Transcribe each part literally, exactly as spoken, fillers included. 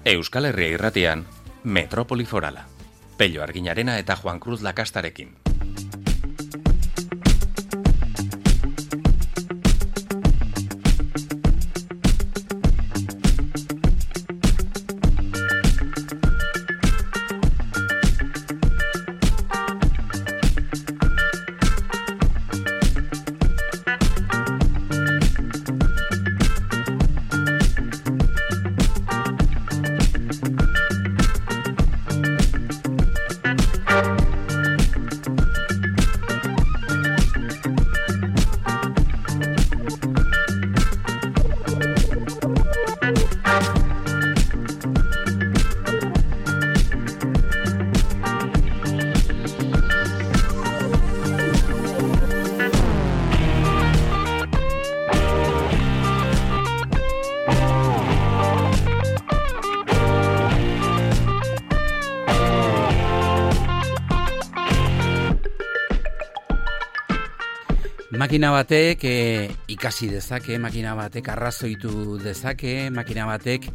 Euskal Herria irratian, Metropoli Forala. Pello Arginarena eta Juan Cruz Lakastarekin. Makina batek e, ikasi dezake, makina batek arrazoitu dezake, makina batek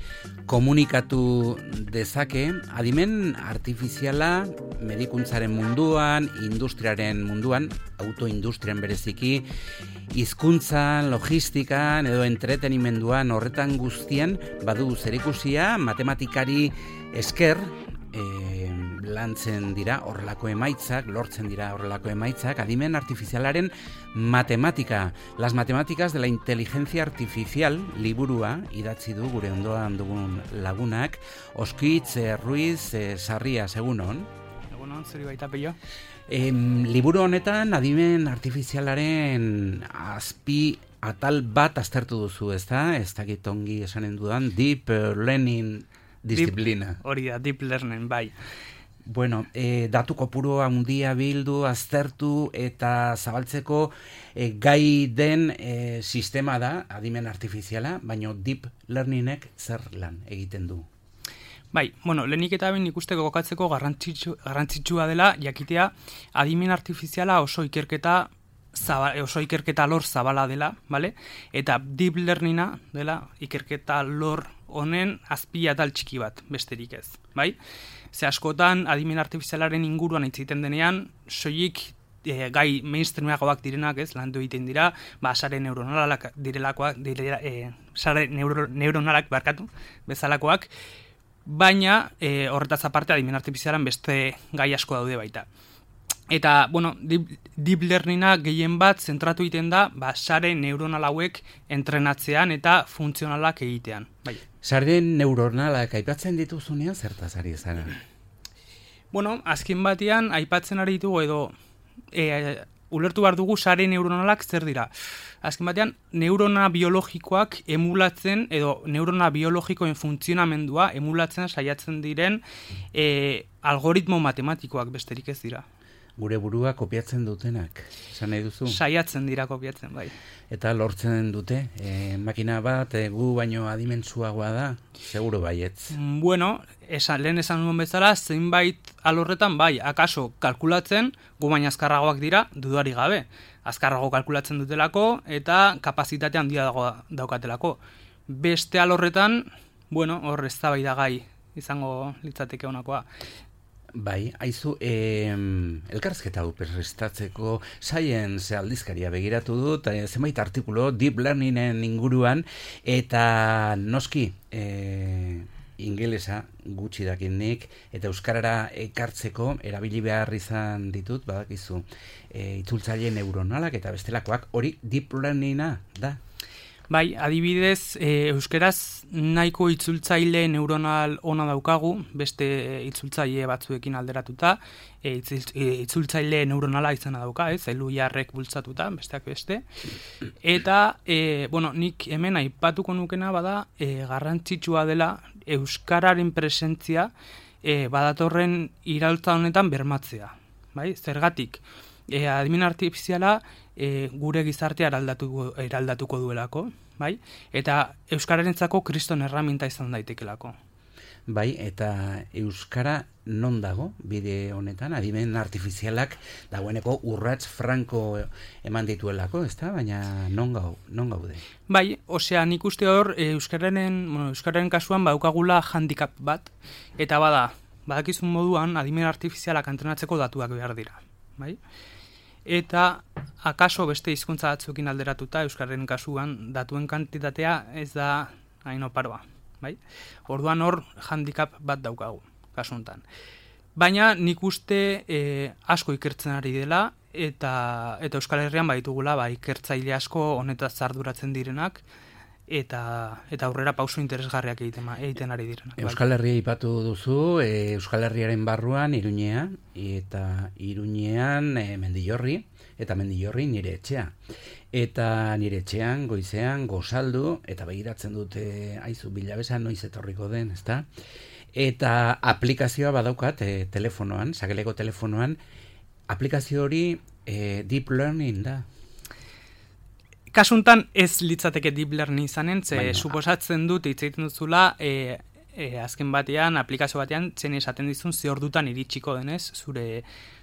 komunikatu dezake. Adimen artifiziala medikuntzaren munduan, industriaren munduan, autoindustrian bereziki, hizkuntzan, logistikan edo entretenimenduan horretan guztian badu zerikusia matematikari esker, e, lantzen dira horrelako emaitzak, lortzen dira horrelako emaitzak, adimen artifizialaren matematika. Las matemáticas de la inteligencia artificial liburua idatzi du gure ondoan dugun lagunak, Oskitz eh, Ruiz eh, Sarria, egunon. Egunon, zuri baita pello. Eh, liburu honetan adimen artifizialaren azpi atal bat aztertu duzu, ezta? Ez dakit ongi esanen dudan, deep learning disiplina. Deep, hori da, deep learning, bai. Bueno, e, datu kopuru handia bildu, aztertu eta zabaltzeko e, gai den e, sistema da, adimen artifiziala, baina deep learningek zer lan egiten du? Bai, bueno, lehenik eta ben ikusteko gokatzeko garrantzitsu, garrantzitsua dela, jakitea adimen artifiziala oso ikerketa Zaba, oso ikerketa lor zabala dela, vale? Eta deep learninga dela ikerketa lor honen azpiatal txiki bat, besterik ez, bai? Ze askotan adimen artifizialaren inguruan hitz egiten denean, soilik e, gai mainstreamagoak direnak, ez, landu egiten dira, ba sare neuronalak direlakoak, direla, e, sare neuro, neuronalak barkatu, bezalakoak, baina e, horretaz aparte adimen artifizialan beste gai asko daude baita. Eta, bueno, deep, deep learninga gehien bat zentratu egiten da, ba, sare neuronal hauek entrenatzean eta funtzionalak egitean. Bai. Sare neuronalak aipatzen dituzunean zertaz ari zara? Bueno, azken batean aipatzen ari ditugu edo e, ulertu behar dugu sare neuronalak zer dira. Azken batean, neurona biologikoak emulatzen edo neurona biologikoen funtzionamendua emulatzen saiatzen diren e, algoritmo matematikoak besterik ez dira. Gure burua kopiatzen dutenak, esan nahi duzu? Saiatzen dira kopiatzen, bai. Eta lortzen dute, e, makina bat e, gu baino adimentsuagoa da, seguro baietz. Bueno, esan, lehen esan nuen bezala, zeinbait alorretan bai, akaso kalkulatzen, gu baina azkarragoak dira, dudari gabe. Azkarrago kalkulatzen dutelako eta kapazitate handia dago daukatelako. Beste alorretan, bueno, hor eztabaidagai izango litzateke honakoa. Bai, haizu, eh, elkarrizketa hau prestatzeko Science aldizkaria begiratu dut, eh, zenbait artikulo deep learningen inguruan, eta noski eh, ingelesa gutxi dakinik, eta euskarara ekartzeko erabili behar izan ditut, badakizu, eh, itzultzaile neuronalak eta bestelakoak, hori deep learninga da. Bai, adibidez, e, euskeraz nahiko itzultzaile neuronal ona daukagu, beste itzultzaile batzuekin alderatuta, e, itzultzaile neuronala izena dauka, ez, elu jarrek bultzatuta, besteak beste. Eta, e, bueno, nik hemen aipatuko nukena bada, e, garrantzitsua dela euskararen presentzia e, badatorren iraultza honetan bermatzea. Bai, zergatik, e, adimen artifiziala e, gure gizartea eraldatuko, eraldatuko duelako, bai? Eta euskararentzako kriston erraminta izan daitekelako. bai, eta euskara non dago bide honetan, adimen artifizialak dagoeneko urrats franko eman dituelako, ezta? Baina non gau, non gaude? Bai, osea, nik uste hor euskararen, bueno, euskararen kasuan baukagula handicap bat, eta bada, badakizun moduan adimen artifizialak entrenatzeko datuak behar dira, bai? Eta akaso beste hizkuntza batzuekin alderatuta euskararen kasuan datuen kantitatea ez da hain oparoa, bai? Orduan hor handicap bat daukagu kasu honetan. Baina nik uste e, asko ikertzen ari dela eta eta Euskal Herrian baditugula ba ikertzaile asko honetaz arduratzen direnak eta eta aurrera pauso interesgarriak egiten egiten ari direnak. Euskal Herria aipatu duzu, e, Euskal Herriaren barruan Iruñea eta Iruñean e, Mendillorri eta Mendillorri nire etxea. Eta nire etxean, goizean, gozaldu, eta begiratzen dute, aizu, Bilabesa noiz etorriko den, ezta? Eta aplikazioa badaukat e, telefonoan, sakeleko telefonoan, aplikazio hori e, deep learning da. Kasuntan ez litzateke deep learning izanen, ze Baina, suposatzen dut hitz egiten duzula, e, e, azken batean, aplikazio batean, zen esaten dizun ze ordutan iritsiko denez, zure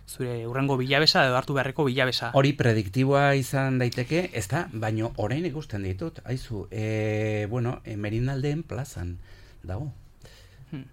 zure urrengo bilabesa edo hartu beharreko bilabesa. Hori prediktiboa izan daiteke, ez da, baino orain ikusten ditut, aizu, e, bueno, e, Merinaldeen plazan dago. Hmm.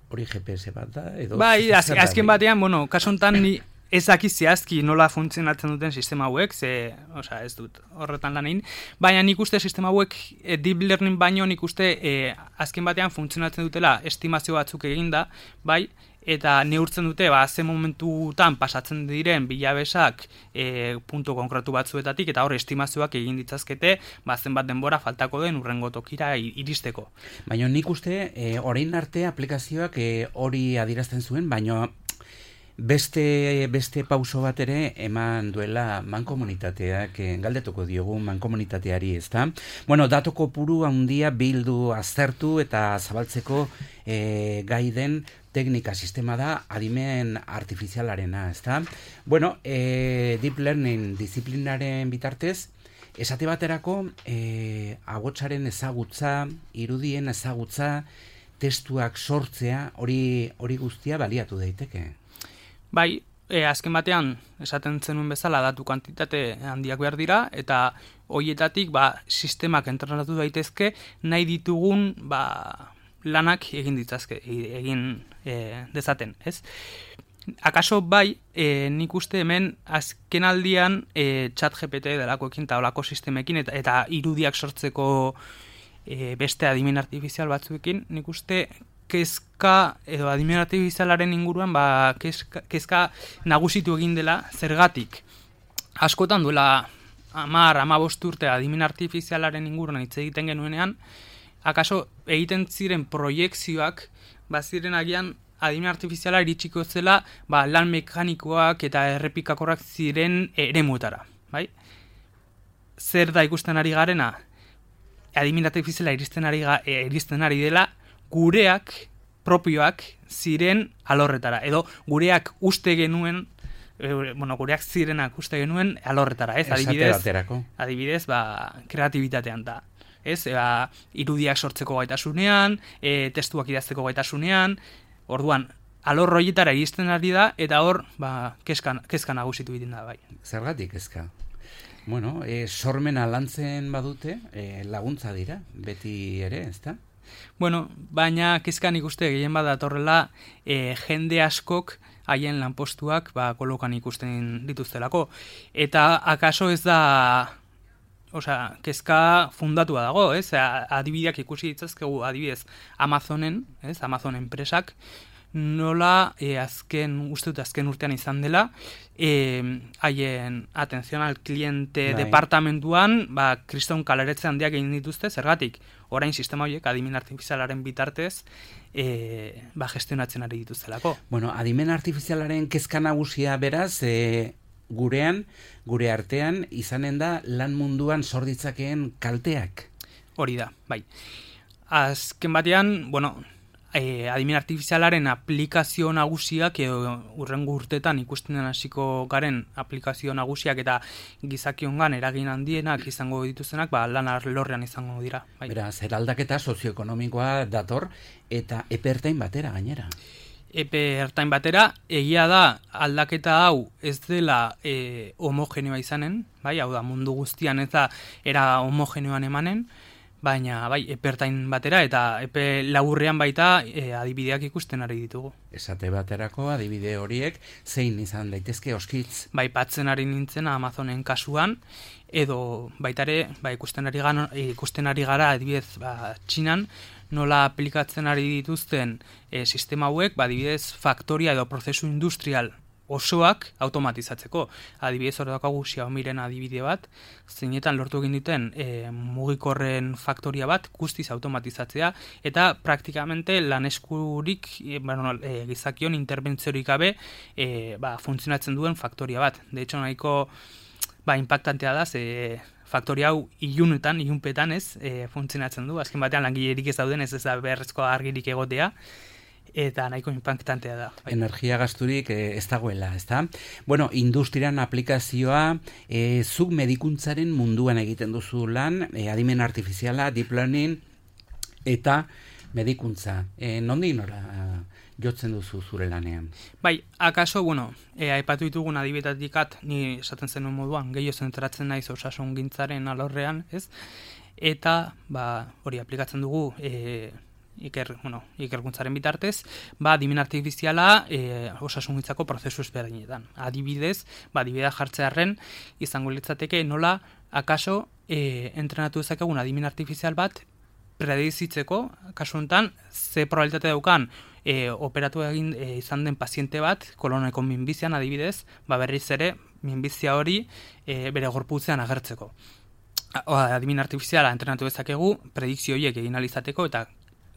Hori G P S bat da, edo... Bai, az, azken batean, bueno, kasu honetan ni ez daki zehazki nola funtzionatzen duten sistema hauek, ze, osea, ez dut horretan lan egin, baina nik uste sistema hauek e, deep learning baino nik uste e, azken batean funtzionatzen dutela estimazio batzuk eginda, bai, eta neurtzen dute, ba, ze momentutan pasatzen diren bilabesak e, puntu konkretu batzuetatik, eta hor estimazioak egin ditzazkete, ba, zenbat denbora faltako den urrengo tokira iristeko. Baina nik uste, e, orain arte aplikazioak e, hori adierazten zuen, baina beste, beste pauso bat ere eman duela mankomunitateak, e, galdetuko diogu mankomunitateari, ezta? Bueno, datu kopuru handia bildu aztertu eta zabaltzeko e, gai den teknika sistema da adimen artifizialarena, ezta? Bueno, e, deep learning disiplinaren bitartez, esate baterako e, agotsaren ezagutza, irudien ezagutza, testuak sortzea, hori hori guztia baliatu daiteke. Bai, e, azken batean, esaten zenuen bezala datu kantitate handiak behar dira, eta horietatik ba, sistemak entrenatu daitezke nahi ditugun ba, lanak egin ditzazke, egin e, dezaten, ez? Akaso bai, e, nik uste hemen azken aldian e, chat G P T delakoekin eta olako sistemekin eta, eta irudiak sortzeko e, beste adimen artifizial batzuekin, nik uste kezka edo adimen artifizialaren inguruan ba, kezka, kezka nagusitu egin dela zergatik. Askotan duela hamar, hamabost urte adimen artifizialaren inguruan hitz egiten genuenean, akaso egiten ziren proiekzioak baziren agian adimen artifiziala iritsiko zela ba, lan mekanikoak eta errepikakorrak ziren eremuetara, bai? Zer da ikusten ari garena? Adimen artifiziala iristen ari, iristen ari dela gureak, propioak ziren alorretara, edo gureak uste genuen, e, bueno, gureak zirenak uste genuen alorretara, ez? Adibidez, adibidez, ba, kreatibitatean da. Ez, eba, irudiak sortzeko gaitasunean, e, testuak idazteko gaitasunean, orduan, alor horietara iristen ari da, eta hor, ba, kezka, kezka nagusitu egiten da, bai. Zergatik kezka? Bueno, e, sormena lantzen badute, e, laguntza dira, beti ere, ezta? Bueno, baina kezkan ikuste gehien badatorrela e, jende askok haien lanpostuak ba, kolokan ikusten dituztelako. Eta akaso ez da... Osea, kezka fundatua dago, ez? Adibideak ikusi ditzazkegu, adibidez, Amazonen, ez? Amazon enpresak, nola e, azken, uste dut azken urtean izan dela, e, haien atención al cliente bai. Departamentuan, ba, kriston kaleretze handiak egin dituzte, zergatik, orain sistema horiek adimen artifizialaren bitartez, e, ba, gestionatzen ari dituztelako. Bueno, adimen artifizialaren kezka nagusia beraz, e, gurean, gure artean, izanen da lan munduan sorditzakeen kalteak. Hori da, bai. Azken batean, bueno, e, adimen artifizialaren aplikazio nagusiak edo urrengo urtetan ikusten den hasiko garen aplikazio nagusiak eta gizakiongan eragin handienak izango dituztenak, ba, lan arlorrean izango dira. Bai. Beraz, eraldaketa sozioekonomikoa dator eta epertain batera gainera. Epe ertain batera, egia da aldaketa hau ez dela e, homogeneoa izanen, bai, hau da mundu guztian ez da era homogeneoan emanen, baina bai, epe ertain batera eta epe laburrean baita e, adibideak ikusten ari ditugu. Esate baterako adibide horiek zein izan daitezke oskitz? Bai, patzen ari nintzen Amazonen kasuan, edo baitare ba, ikusten, ari gano, ikusten ari gara adibidez ba, Txinan, nola aplikatzen ari dituzten e, sistema hauek, ba, adibidez faktoria edo prozesu industrial osoak automatizatzeko. Adibidez hor daukagu Xiaomiren adibide bat, zeinetan lortu egin duten e, mugikorren faktoria bat guztiz automatizatzea, eta praktikamente lan eskurik e, bueno, e, gizakion interbentziorik gabe e, ba, funtzionatzen duen faktoria bat. De hecho, nahiko ba, impactantea da, ze faktoria hau ilunetan, ilunpetan ez, e, funtzionatzen du. Azken batean langilerik ez dauden, ez ez da beharrezko argirik egotea, eta nahiko impactantea da. Bai. Energia gasturik e, ez dagoela, ez da? Bueno, industrian aplikazioa, e, zuk medikuntzaren munduan egiten duzu lan, e, adimen artifiziala, deep learning, eta medikuntza. E, nondik nora jotzen duzu zure lanean? Bai, akaso, bueno, e, aipatu ditugun adibetatikat, ni esaten zenuen moduan, gehiago zentratzen naiz osasungintzaren alorrean, ez? Eta, ba, hori aplikatzen dugu, e, iker, bueno, ikerkuntzaren bitartez, ba, adimen artifiziala e, osasungintzako prozesu ezberdinetan. Adibidez, ba, adibidea jartzearren, izango litzateke nola, akaso, e, entrenatu dezakegun adimen artifizial bat, predizitzeko, kasu honetan, ze probabilitate daukan e, operatu egin e, izan den paziente bat, koloneko minbizian adibidez, ba berriz ere, minbizia hori e, bere gorputzean agertzeko. Adimen artifiziala entrenatu dezakegu, predikzio horiek egin alizateko, eta,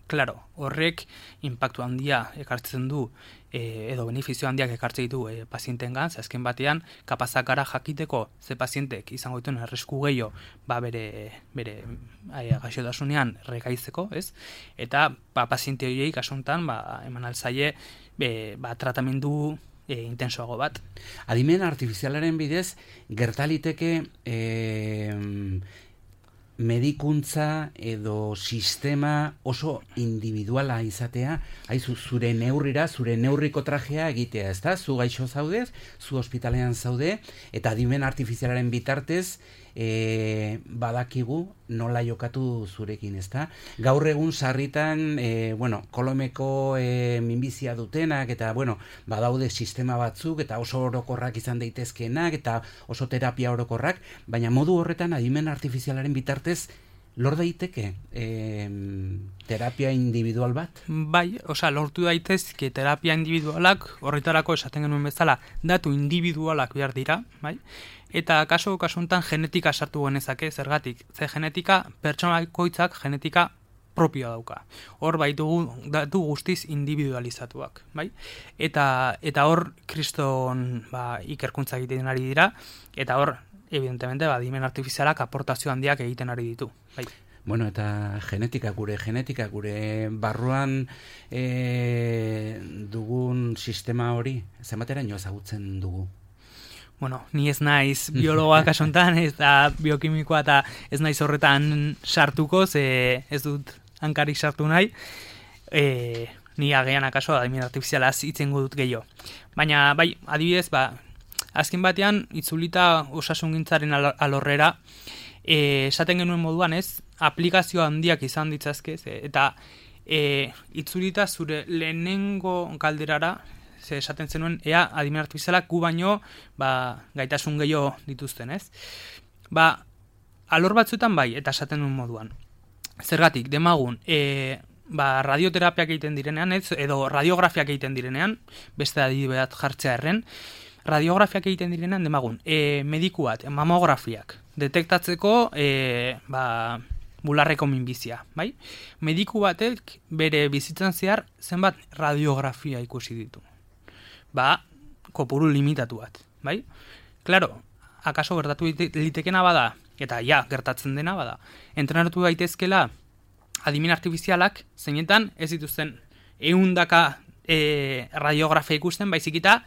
klaro, horrek inpaktu handia ekartzen du, e, edo benefizio handiak ekartzen ditu e, pazientengan, ze azken batean, kapazak gara jakiteko ze pazientek izango dituen arrisku gehiago, ba bere, bere gaixotasunean rekaitzeko, ez? Eta, ba, paziente horiei kasuntan, ba, eman alzaie, be, ba, tratamendu e, intensoago bat. Adimen artifizialaren bidez, gertaliteke e, medikuntza edo sistema oso individuala izatea, haizu zure neurrira, zure neurriko trajea egitea, ez da? Zu gaixo zaudez, zu ospitalean zaude, eta adimen artifizialaren bitartez e, badakigu nola jokatu zurekin, ez da? Gaur egun sarritan, e, bueno, kolomeko e, minbizia dutenak, eta, bueno, badaude sistema batzuk, eta oso orokorrak izan daitezkeenak, eta oso terapia orokorrak, baina modu horretan adimen artifizialaren bitartez lor daiteke e, terapia individual bat? Bai, osea, lortu daitezke terapia individualak, horretarako esaten genuen bezala, datu individualak behar dira, bai? Eta kaso kasuntan genetika sartu genezake, zergatik? Ze genetika, pertsonakoitzak genetika propioa dauka. Hor baitugu datu guztiz individualizatuak, bai? Eta eta hor kriston ba, ikerkuntza egiten ari dira, eta hor evidentemente, ba, adimen artifizialak aportazio handiak egiten ari ditu. Bai. Bueno, eta genetika, gure genetika, gure barruan e, dugun sistema hori, zenbateraino ezagutzen dugu? Bueno, ni ez naiz biologoa kasontan, ez da biokimikoa eta ez naiz horretan sartuko, ze ez dut hankarik sartu nahi, e, ni agean akaso adimen artifizialaz itzengo dut gehiago. Baina, bai, adibidez, ba, azken batean, itzulita osasungintzaren alorrera, e, esaten genuen moduan ez, aplikazio handiak izan ditzazke, eta e, itzulita zure lehenengo galderara, ze esaten zenuen, ea adimen artifizialak gu baino ba, gaitasun gehiago dituzten, ez? Ba, alor batzuetan bai, eta esaten duen moduan. Zergatik, demagun, e, ba, radioterapiak egiten direnean, ez? Edo radiografiak egiten direnean, beste adibide bat jartzea erren, radiografiak egiten direnean, demagun, e, mediku bat, mamografiak, detektatzeko e, ba, bularreko minbizia, bai? Mediku batek bere bizitzan zehar zenbat radiografia ikusi ditu. Ba, kopuru limitatu bat, bai? Claro, akaso gertatu litekena bada, eta ja, gertatzen dena bada, entrenatu daitezkela adimen artifizialak zeinetan ez dituzten ehundaka e, radiografia ikusten, baizik eta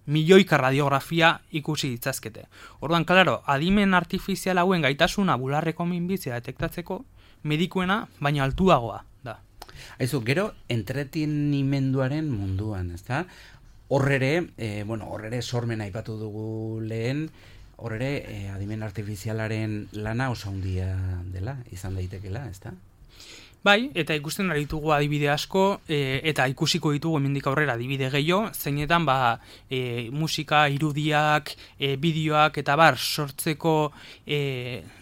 milioika radiografia ikusi ditzazkete. Orduan, klaro, adimen artifizial hauen gaitasuna bularreko minbizia detektatzeko medikuena, baina altuagoa da. Aizu, gero, entretenimenduaren munduan, ezta? Horrere, e, bueno, horrere sormen aipatu dugu lehen, horrere e, adimen artifizialaren lana oso handia dela, izan daitekela, ezta? Bai, eta ikusten ari ditugu adibide asko, e, eta ikusiko ditugu hemendik aurrera adibide gehiago, zeinetan ba, e, musika, irudiak, e, bideoak eta bar sortzeko e,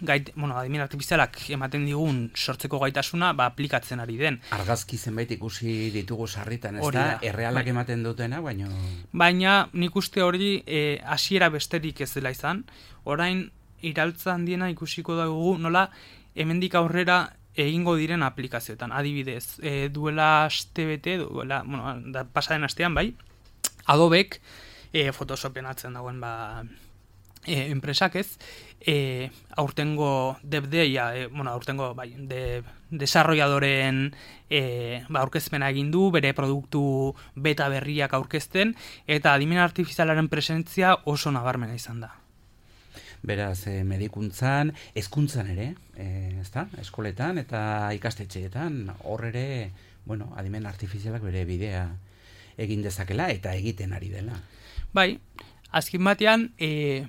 gait, bueno, adimen artifizialak ematen digun sortzeko gaitasuna ba, aplikatzen ari den. Argazki zenbait ikusi ditugu sarritan, ez Hori da? da, Errealak bai. ematen dutena, baina... Baina nik uste hori e, hasiera besterik ez dela izan, orain iraultza handiena ikusiko dugu nola hemendik aurrera egingo diren aplikazioetan. Adibidez, e, duela aste bete, duela, bueno, da, pasaden astean, bai, Adobek e, Photoshopen atzen dagoen ba, e, enpresak ez, e, aurtengo DevDaya, e, bueno, aurtengo, bai, de, desarrolladoren e, ba, aurkezpena egin du, bere produktu beta berriak aurkezten, eta adimen artifizialaren presentzia oso nabarmena izan da. Beraz, eh, medikuntzan, hezkuntzan ere, eh, ezta? Eskoletan eta ikastetxeetan, hor ere, bueno, adimen artifizialak bere bidea egin dezakela eta egiten ari dela. Bai, azken batean, e,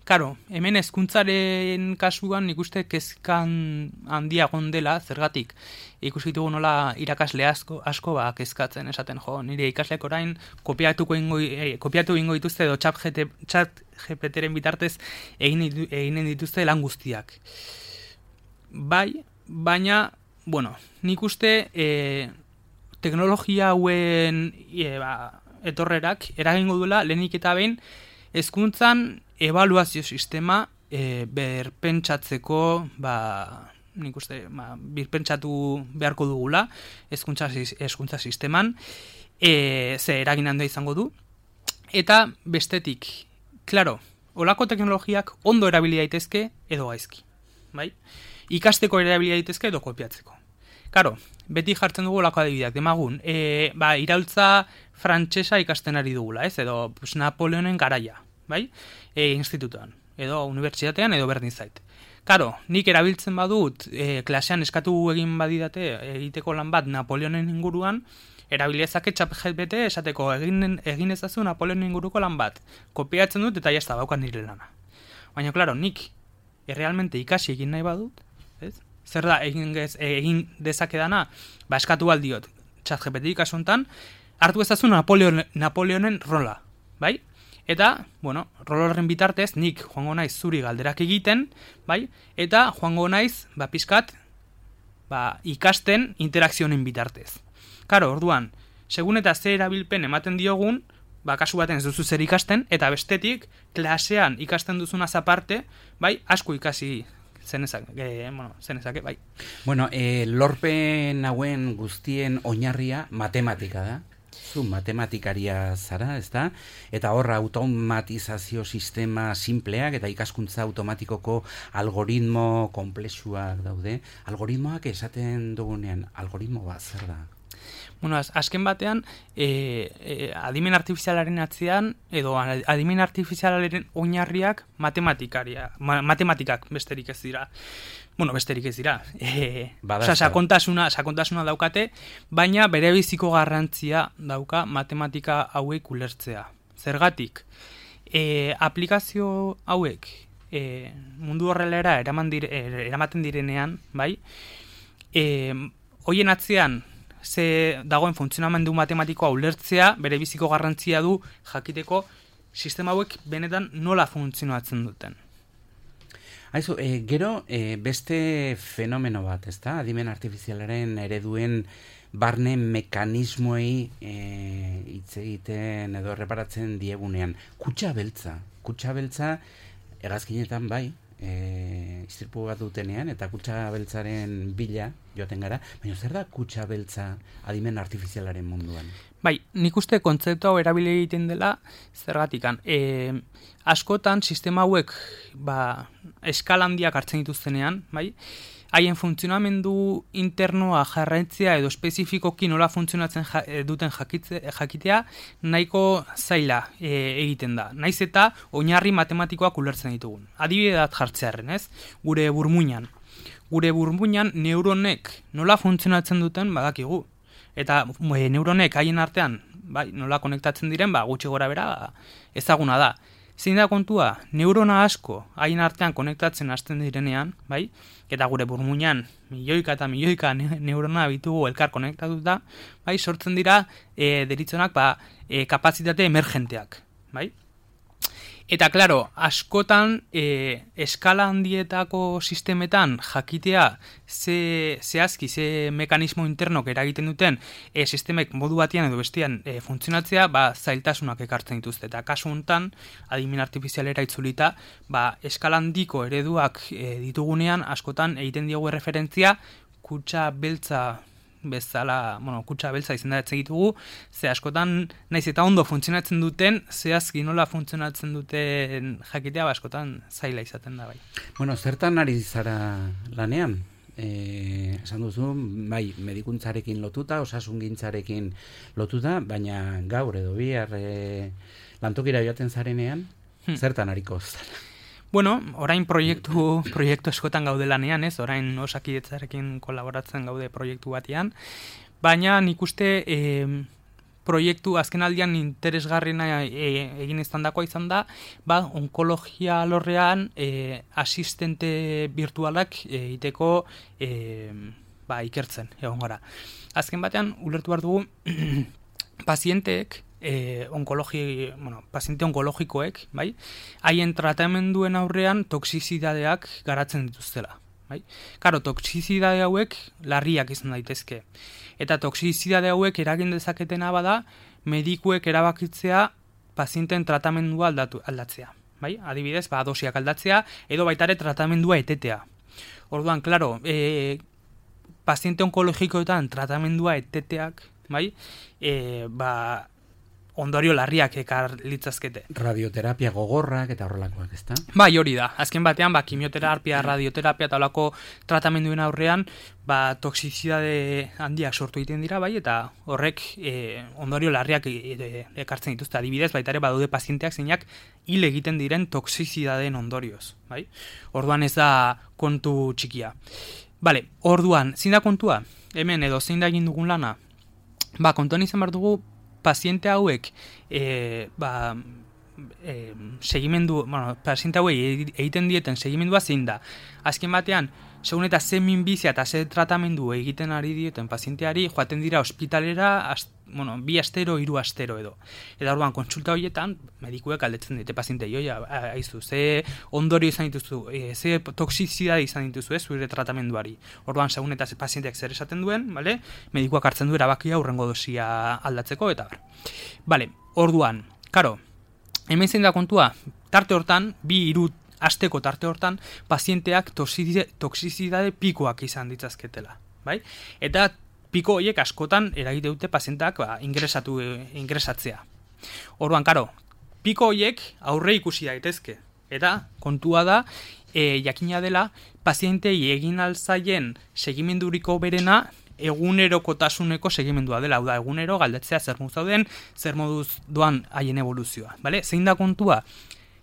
karo, hemen hezkuntzaren kasuan nik uste kezkan handia dela, zergatik ikusi ditugu nola irakasle asko, asko ba, kezkatzen esaten, jo, nire ikasleak orain kopiatuko ingo, eh, kopiatu ingo dituzte edo chat G P T-ren bitartez egin, eginen dituzte lan guztiak. Bai, baina, bueno, nik uste e, teknologia hauen e, ba, etorrerak eragingo duela lehenik eta behin hezkuntzan ebaluazio sistema e, berpentsatzeko, ba, nik uste, ba, birpentsatu beharko dugula hezkuntza hezkuntza sisteman, e, ze eragin handia izango du. Eta bestetik, klaro, olako teknologiak ondo erabili daitezke edo gaizki, bai? Ikasteko erabili daitezke edo kopiatzeko. Karo, beti jartzen dugu olako adibideak, demagun, e, ba, iraultza frantsesa ikasten ari dugula, ez? Edo pues, Napoleonen garaia, bai? E, institutuan, edo unibertsitatean, edo berdin zait. Karo, nik erabiltzen badut, e, klasean eskatu egin badidate egiteko lan bat Napoleonen inguruan, erabiliezake chat G P T esateko egin, egin ezazu Napoleonen inguruko lan bat. Kopiatzen dut eta jazta baukan nire lana. Baina, klaro, nik errealmente ikasi egin nahi badut, ez? Zer da egin, gez, egin dezakedana, ba eskatu aldiot chat G P T kasuntan, hartu ezazu Napoleon, Napoleonen rola, bai? Eta, bueno, rol horren bitartez, nik joango naiz zuri galderak egiten, bai? Eta joango naiz, ba, pizkat, ba, ikasten interakzioen bitartez. Karo, orduan, segun eta ze erabilpen ematen diogun, ba, kasu baten ez duzu zer ikasten, eta bestetik, klasean ikasten duzunaz aparte, bai, asko ikasi zenezake, e, bueno, zenezake, bai. Bueno, e, lorpen hauen guztien oinarria matematika da. Zu matematikaria zara, ezta? Eta horra automatizazio sistema simpleak eta ikaskuntza automatikoko algoritmo konplexuak daude. Algoritmoak esaten dugunean, algoritmo bat zer da? Bueno, az, azken batean, e, e, adimen artifizialaren atzean, edo adimen artifizialaren oinarriak matematikaria, ma, matematikak besterik ez dira. Bueno, besterik ez dira. E, Osa, sakontasuna, sakontasuna daukate, baina bere biziko garrantzia dauka matematika hauek ulertzea. Zergatik, e, aplikazio hauek e, mundu horrelera eraman dire, eramaten direnean, bai, e, hoien atzean, ze dagoen funtzionamendu matematikoa ulertzea, bere biziko garrantzia du jakiteko sistema hauek benetan nola funtzionatzen duten. Aizu, e, gero e, beste fenomeno bat, ezta? Adimen artifizialaren ereduen barne mekanismoei e, hitz egiten edo erreparatzen diegunean. Kutxa beltza. Kutxa beltza hegazkinetan bai, e, istirpu bat dutenean, eta kutxa beltzaren bila joaten gara, baina zer da kutxa beltza adimen artifizialaren munduan? Bai, nik uste kontzeptu hau erabili egiten dela zergatikan. E, askotan sistema hauek ba, eskala handiak hartzen dituztenean, bai, haien funtzionamendu internoa jarraitzea edo espezifikoki nola funtzionatzen ja, duten jakitze, jakitea nahiko zaila e, egiten da. Naiz eta oinarri matematikoak ulertzen ditugun. Adibide bat jartzearren, ez? Gure burmuinan. Gure burmuinan neuronek nola funtzionatzen duten badakigu. Eta e, neuronek haien artean bai, nola konektatzen diren, ba, gutxi gora bera ba, ezaguna da. Zein da kontua, neurona asko hain artean konektatzen hasten direnean, bai? Eta gure burmuinan milioika eta milioika neurona bitugu elkar konektatuta, bai? Sortzen dira e, deritzonak ba, e, kapazitate emergenteak, bai? Eta, klaro, askotan e, eskala handietako sistemetan jakitea ze, zehazki, ze mekanismo internok eragiten duten e, sistemek modu batean edo bestean e, funtzionatzea, ba, zailtasunak ekartzen dituzte. Eta kasu honetan, adimen artifizialera itzulita, ba, eskala handiko ereduak e, ditugunean, askotan egiten diogu referentzia kutxa beltza bezala, bueno, kutxa beltza izendatzen ditugu, ze askotan naiz eta ondo funtzionatzen duten, zehazki nola funtzionatzen duten jakitea, ba, askotan zaila izaten da bai. Bueno, zertan ari zara lanean? Eh, esan duzu, bai, medikuntzarekin lotuta, osasungintzarekin lotuta, baina gaur edo bihar e, lantokira joaten zarenean, hmm. zertan ariko zara? Bueno, orain proiektu proiektu eskotan gaude lanean, ez? Orain Osakidetzarekin kolaboratzen gaude proiektu batean, baina nik uste e, proiektu azkenaldian interesgarriena e, egin izandakoa izan da, ba, onkologia alorrean e, asistente virtualak egiteko e, ba, ikertzen, egon gara. Azken batean, ulertu behar dugu, pazienteek, E, onkologi, bueno, paziente onkologikoek, bai, haien tratamenduen aurrean toxizidadeak garatzen dituztela, bai. Karo, toxizidade hauek larriak izan daitezke. Eta toxizidade hauek eragin dezaketena bada, medikuek erabakitzea pazienteen tratamendua aldatu, aldatzea, bai. Adibidez, ba, dosiak aldatzea, edo baitare tratamendua etetea. Orduan, klaro, e, paziente onkologikoetan tratamendua eteteak, bai, e, ba, ondorio larriak ekar litzazkete. Radioterapia gogorrak eta horrelakoak, ezta? Bai, hori da. Azken batean, ba, kimioterapia, radioterapia eta holako tratamenduen aurrean, ba, toxizidade handiak sortu egiten dira, bai, eta horrek e, ondorio larriak e, e, ekartzen dituzte. Adibidez, baita ere, badaude pazienteak zeinak hil egiten diren toxizidadeen ondorioz, bai? Orduan ez da kontu txikia. Bale, orduan, zein da kontua? Hemen edo zein da egin dugun lana? Ba, kontuan izan behar dugu, paziente hauek e, ba, e, segimendu, bueno, paziente hauek egiten dieten segimendua zein da. Azken batean, segun eta ze minbizia eta ze tratamendu egiten ari dieten pazienteari, joaten dira ospitalera, ast, bueno, bi astero, hiru astero edo. Eta orduan, kontsulta horietan, medikuek galdetzen dite paziente, joia, aizu, ze ondorio izan dituzu, e, ze toxizidade izan dituzu, ez, zure tratamenduari. Orduan, segun eta ze pazienteak zer esaten duen, bale? Medikuak hartzen du erabakia hurrengo dosia aldatzeko, eta bar. Bale, orduan, karo, hemen zein da kontua, tarte hortan, bi hiru asteko tarte hortan, pazienteak toxizidade pikoak izan ditzazketela, bai? Eta piko horiek askotan eragite dute pazientak ba, ingresatu, ingresatzea. Orduan, karo, piko horiek aurre ikusi daitezke. Eta kontua da, e, jakina dela, pazientei egin alzaien segimenduriko berena egunerokotasuneko segimendua dela. Hau da, egunero galdetzea zer moduz dauden, zer moduz doan haien evoluzioa. Bale? Zein da kontua?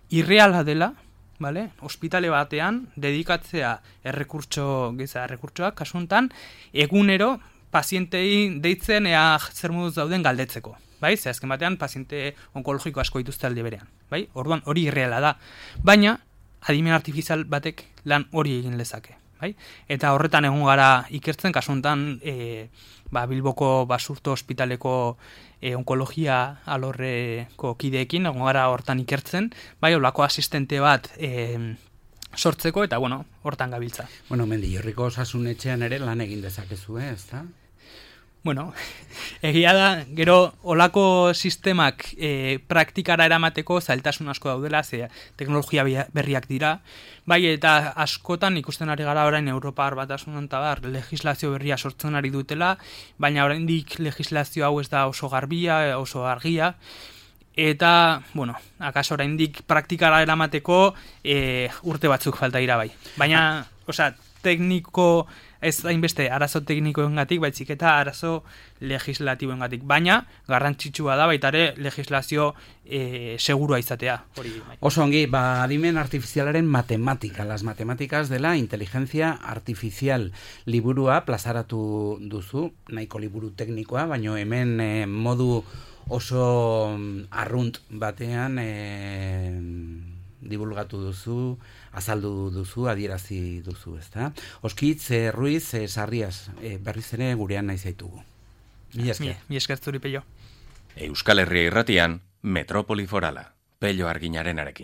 Irreala dela, vale? Ospitale batean dedikatzea errekurtso, giza errekurtsoak kasu honetan, egunero pazientei deitzen ea zer moduz dauden galdetzeko, bai? Ze azken batean paziente onkologiko asko dituzte alde berean, bai? Orduan hori irreala da. Baina adimen artifizial batek lan hori egin lezake, bai? Eta horretan egon gara ikertzen kasu honetan e, ba, Bilboko Basurto ospitaleko e, onkologia alorreko kideekin egon gara hortan ikertzen, bai, holako asistente bat e, sortzeko eta bueno, hortan gabiltza. Bueno, Mendillorriko osasunetxean ere lan egin dezakezu, eh, ezta? Bueno, egia da, gero olako sistemak e, praktikara eramateko zailtasun asko daudela, ze teknologia berriak dira, bai, eta askotan ikusten ari gara orain Europar Batasunan eta bar, legislazio berria sortzen ari dutela, baina oraindik legislazio hau ez da oso garbia, oso argia, eta, bueno, akaso oraindik praktikara eramateko e, urte batzuk falta dira bai. Baina, osea, tekniko, ez hainbeste arazo teknikoengatik, baizik eta arazo legislatiboengatik. Baina, garrantzitsua da baita ere legislazio e, segurua izatea. Hori, bai. Oso ongi, ba, adimen artifizialaren matematika, las matemáticas de la inteligencia artificial liburua plazaratu duzu, nahiko liburu teknikoa, baina hemen eh, modu oso arrunt batean eh, divulgatu duzu, azaldu duzu, adierazi duzu, ezta? Oskitz, eh, Ruiz, eh, Sarrias, eh, berriz ere gurean nahi zaitugu. Mi esker. Mi esker zuri, Pello. Euskal Herria irratian, Metropoli Forala, Pello Arginarenarekin.